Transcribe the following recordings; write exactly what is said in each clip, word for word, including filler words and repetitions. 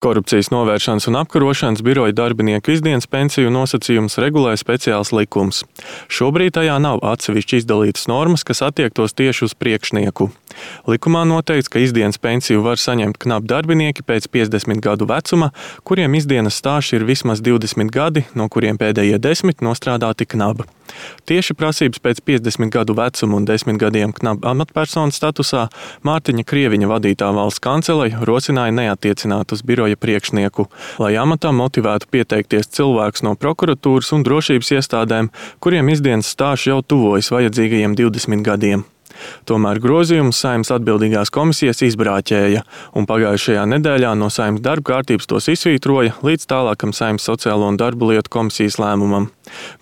Korupcijas novēršanas un apkarošanas biroja darbinieku izdienas pensiju nosacījumus regulē speciāls likums. Šobrīd tajā nav atsevišķi izdalītas normas, kas attiektos tieši uz priekšnieku. Likumā noteikts, ka izdienas pensiju var saņemt knapi darbinieki pēc piecdesmit gadu vecuma, kuriem izdienas stāžs ir vismaz divdesmit gadi, no kuriem pēdējie desmit nostrādāti knaba. Tieši prasības pēc piecdesmit gadu vecuma un desmit gadiem knaba amatpersonu statusā Mārtiņa Krieviņa vadītā valsts kanceleja rosināja neattiecināt uz biroja priekšnieku, lai amatā motivētu pieteikties cilvēkus no prokuratūras un drošības iestādēm, kuriem izdienas stāžs jau tuvojas vajadzīgajiem divdesmit gadiem. Tomēr grozījumus Saeimas atbildīgās komisijas izbrāķēja, un pagājušajā nedēļā no Saeimas darba kārtības tos izsvītroja līdz tālākam Saeimas sociālo un darbu lietu komisijas lēmumam.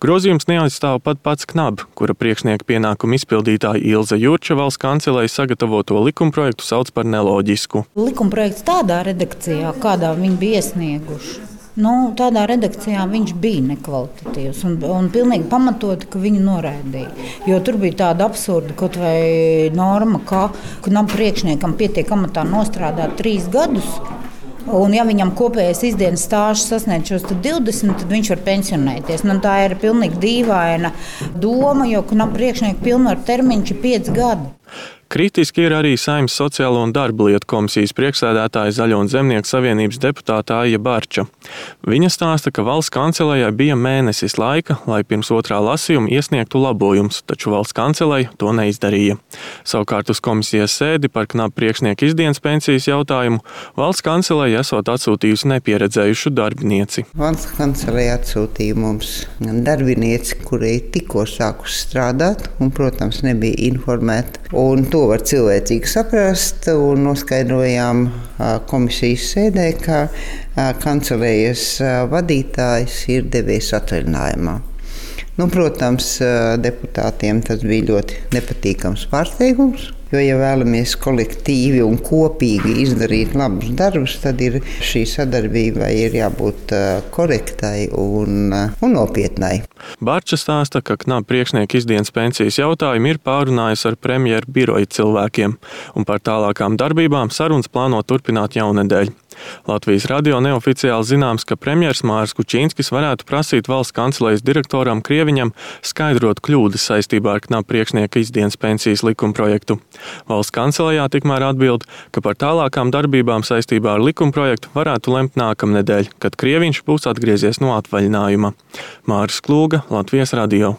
Grozījums neaizstāv pat pats knab, kura priekšnieka pienākumu izpildītāja Ilze Jurča valsts kancelei sagatavoto likumprojektu sauc par neloģisku. Likumprojekts tādā redakcijā, kādā viņi bija iesnieguši. Nu, tādā redakcijā viņš bija nekvalitatīvs un, un pilnīgi pamatoti, ka viņu noraidīja. Jo tur bija tāda absurda kaut vai norma, ka knaba priekšniekam pietiek amatā nostrādāt trīs gadus. Un, ja viņam kopējais izdienas stāžs sasniedz šos divdesmit, tad viņš var pensionēties. Nu, tā ir pilnīgi dīvaina doma, jo knaba priekšnieka pilnvaru termiņš ir pieci gadi. Kritiski ir arī Saeimas sociālo un darba lietu komisijas priekšsēdētāja Zaļo un Zemnieku savienības deputāta Aija Barča. Viņa stāsta, ka valsts kancelejai bija mēnesis laika, lai pirms otrā lasījuma iesniegtu labojumus, taču valsts kanceleja to neizdarīja. Savukārt uz komisijas sēdi par knapu priekšnieku izdienas pensijas jautājumu valsts kanceleja esot atsūtījusi nepieredzējušu darbinieci. Valsts kanceleja atsūtīja mums darbinieci, kurai tikko sākus strādāt un, protams, nebija informēta. Un to var cilvēcīgi saprast un noskaidrojām komisijas sēdē, ka kancelējas vadītājs ir devies atvaļinājumā. Nu, protams, deputātiem tas bija ļoti nepatīkams pārsteigums. Jo, ja vēlamies kolektīvi un kopīgi izdarīt labus darbus, tad ir šī sadarbība ir jābūt korektai un, un nopietnai. Barča stāsta, ka knaba priekšnieka izdienas pensijas jautājumu ir pārunājis ar premjeru biroja cilvēkiem, un par tālākām darbībām sarunas plāno turpināt jaunedēļ. Latvijas radio neoficiāli zināms, ka premjers Māris Kučīnskis varētu prasīt valsts kancelejas direktoram Krieviņam skaidrot kļūdas saistībā ar knaba priekšnieka izdienas pensijas likumprojektu. Valsts kancelejā tikmēr atbild, ka par tālākām darbībām saistībā ar likumprojektu varētu lemt nākamnedēļ, kad Krieviņš būs atgriezies no atvaļinājuma. Māris Klūga, Latvijas radio.